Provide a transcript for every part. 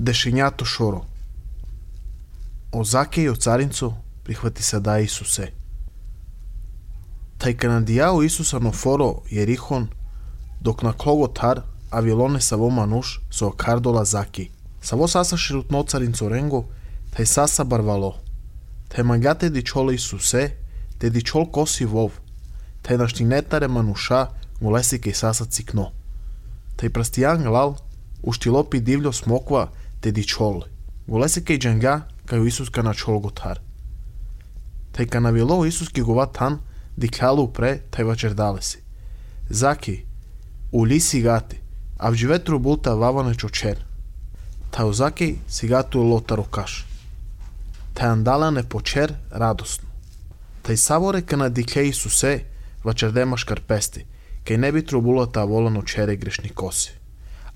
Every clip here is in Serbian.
Дешењато шоро. О Заке и о царинцо прихвати се да Исусе. Тај канадијао Исуса но форо Јерихон, док на Клоготар, Авилоне са во мануш со окардола Заки. Са во саса ширутно царинцо ренго, тај саса барвало. Тај магате дичоле Исусе, те дичол коси вов. Тај наштинетаре мануша, голеси кај саса цикно. Тај прастијан глал, уштилопи дивљо смоква, те дичол. Голеси кај джанга, кај Исус кана Чолготар. Тај канавило Исус ки гова тан, диклялу пре, тај вачердалеси. Заки, ули сигати, а вживе трубулта ваване чочер. Тај Заки сигату лота рокаш. Тај андалане почер радосно. Тај саворе кана дикле Исусе, вачердема шкарпести, кај не би трубулата волано чере грешни коси.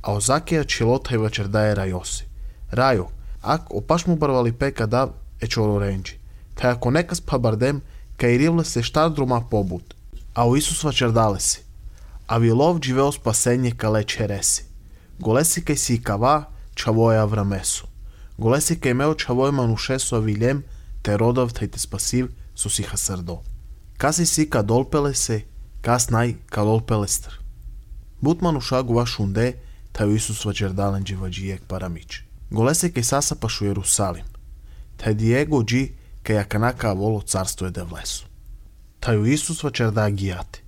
А о Закија чилота и вачердае рајоси. Рајо, ак опаш му барвали пека дав е чоро ренджи. Тај ако некас па бардем, кај ривле се штар друма побут. А о Исус вачердале си. А вилов дживео спасење кале череси. Голеси кај си и кава, чавоја аврамесу. Голеси кај мео чавој манушесу авилем, те родав тај те спасив со сиха срдо. Каси си ка долпеле се, кас нај ка долпелестр. Бут мануша гува шунде, тај Исус вачердален дживаджиек парамич. Голеси кај саса пашу Јерусалим. Тај диего джи кај аканака воло царство е девлесу. Тај Исус вачерда гијати.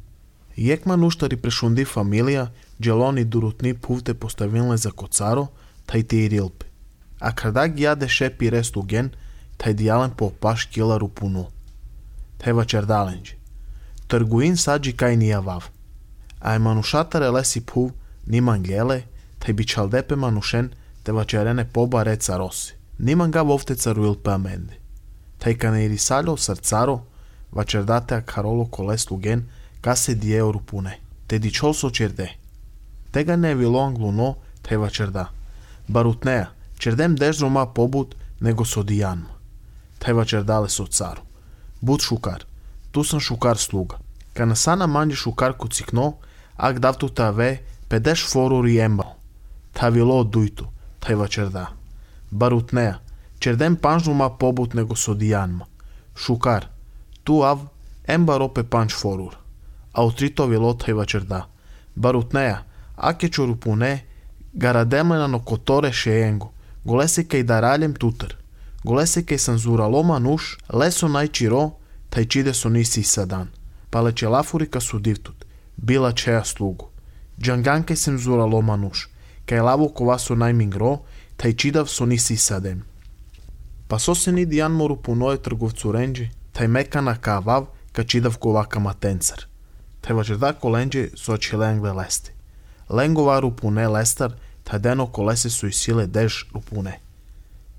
Јек мануштари прешунди фамилија, джелони дурутни пувте поставилне за коцаро, тај те и рилпи. А крада гијаде шепи рестуген, тај дијален по паш кила рупуну. Тај вачердаленджи. Тргуин саджи кај нијавав. А е манушата релеси пув, ниман геле, тај бичалдепе манушен, те вачерене поба реца роси. Ниман га вовте царуил пе аменди. Тај кане ирисалјо срцаро, вачердате а кароло колес луген, ка се диео рупуне. Те дичол со черде. Тега не е вило англуно, тај вачерда. Барутнеа, чердем деждрома побут, него со дијанма. Тај вачердале со царо. Буд шукар, ту сам шукар слуга. Кана сана манджи шукар ку цикно, ак давту таве, педеш форур и ембал. Та вило дујту, тај вачерда. Барутнеа, чердем панждрома побут, него со дијанма. Шукар, ту ав, ембар опе панч форур. А утрито вило тај вачерда. Барутнеа, аке чорупуне, гарадемлена но которе шеенго, голесе кај даралем тутар, голесе кај санзурало мануш, лесо најчиро, тај чиде со ниси садан, палече лафури ка судивтут, била чеја слугу. Джанган кај санзурало мануш, кај лаво кова со најмингро, тај чидав со ниси садем. Па со се ни дијан мору пуное трговцу ренджи, тај мека на кавав, ка чидав кова ка матенцар. Тај вачерда коленджи со чиленгле лести. Ленгова рупуне лестар, тај дено колесе со и силе деж рупуне.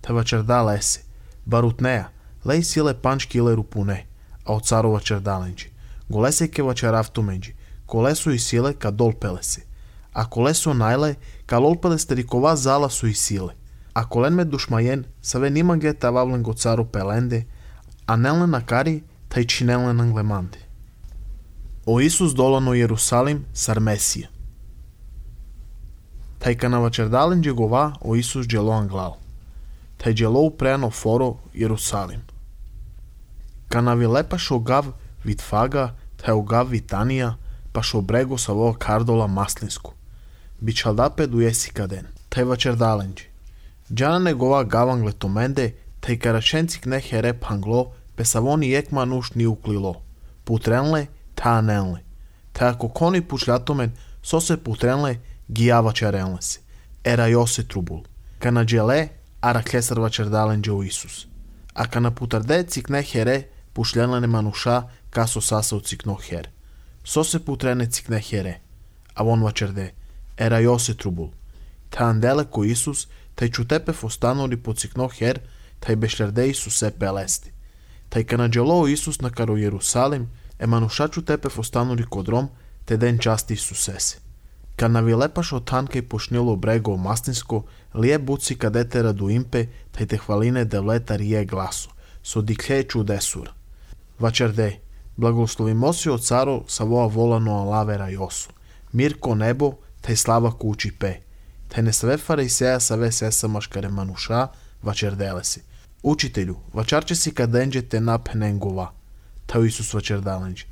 Тај вачерда леси. Барутнеа, леј силе панч киле рупуне, а од царо вачердаленджи. Голесе ке вачерафту менджи, колесо и силе ка долпелеси. А колесо најле, ка лолпелес терикова зала со и силе. А колен ме душмајен, саве нима ге тававлен го царо пеленде, а нелне накари, тај чинелне нанглеманди. О Исус долано Јерусалим сар Месија. Тај кана вачердаленджи гова о Исус джело англал. Тај джело упреано форо Јерусалим. Кана вилепа шо гав Витфага, тај огав Витанија, па шо брего са во кардола маслинску. Бичалдапе дуеси каден. Тај вачердаленджи. Джана негова гавангле томенде, тај караченцик не хереп англо, песавони екма нуш ни уклило. Путренле, та ненле. Тај ако кони пучлятомен, со се путренле, гијава чаренле си. Ера јосе трубул. Кана джеле, араклесар вачердаленджи о Исус. А кана путарде цикне хере, пушлене мануша, касо саса у цикно хер. Со се путрене цикне хере. А вон вачерде, ера јосе трубул. Та анделе ко Исус, тај чутепе останали по цикно хер, тај бешлерде Исусе пелести. Тај кана джело Исус на каро Јерусалим, е мануша чутепе останали кодром, те ден части Исусеси. Кана вилепаш од танка и пошнило брего маслинско, лие буци кадете радуимпе, тај те хвалине девлета рие гласо, со дикле чудесура. Вачерде, благословимо си од царо са воа волано алавера јосу. Мир ко небо, тај слава кучи пе. Te ne sve farisea savе sesa maškare manuša, vačer delesi. Učitelju, vačarče si kadenđe te na penengova. Tao Isus vačer dalenđe.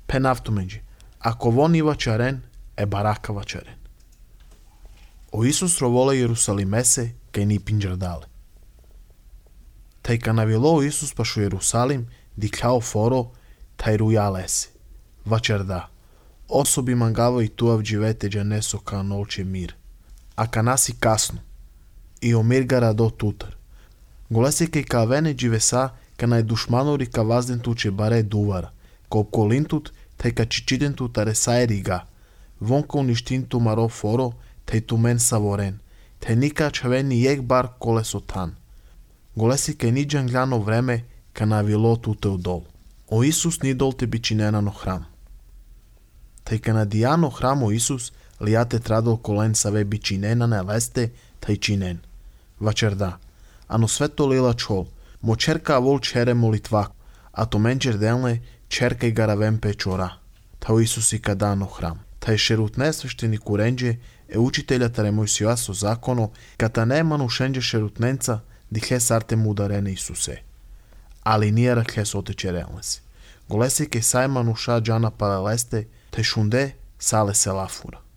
Penavtumenđe. Ako von i vačaren, baraka vačaren. O Isus rovole Jerusalimese, kaj ni pinđardale. Taj ka navjelo Isus pašu Jerusalim, dikljao foro, taj rujalesi. Vačer da. Osobi mangava i tuav dživeteđa neso ka nolče mir. A ka nasi kasno. I omir gara do tutar. Golesi kaj ka vene dživesa, ka naj dušmanori ka vazden tuče bare duvara. Ka opkolintut, taj ka čičidentut are saeriga. Vonka uništintu maro foro, taj tu men savoren. Taj nika čaveni jek bar kolesotan. Golesi kaj niđan gljano vreme, ka navilo tute u dol. O Isus ni dol te bičinena no hram. Taj ka nadijano hramo Isus, lijate tradol kolen save bičinena ne leste, taj činen. Vačer da. Ano sve to lila čol, mo čerka vol čere molitvak, a to menčer delne čerka i garavem pečora. Tao Isus i kadano hram. Taj šerutne svešteni kurenđe, učitelja tare Mojsijaso zakono, kata nemanu šenđe šerutnenca, dihle sarte mu udarene Isuse. Ali nije rakle soteče relnesi. Golesi ke sajmanu ša džana paleleste, taj šunde sale se lafura.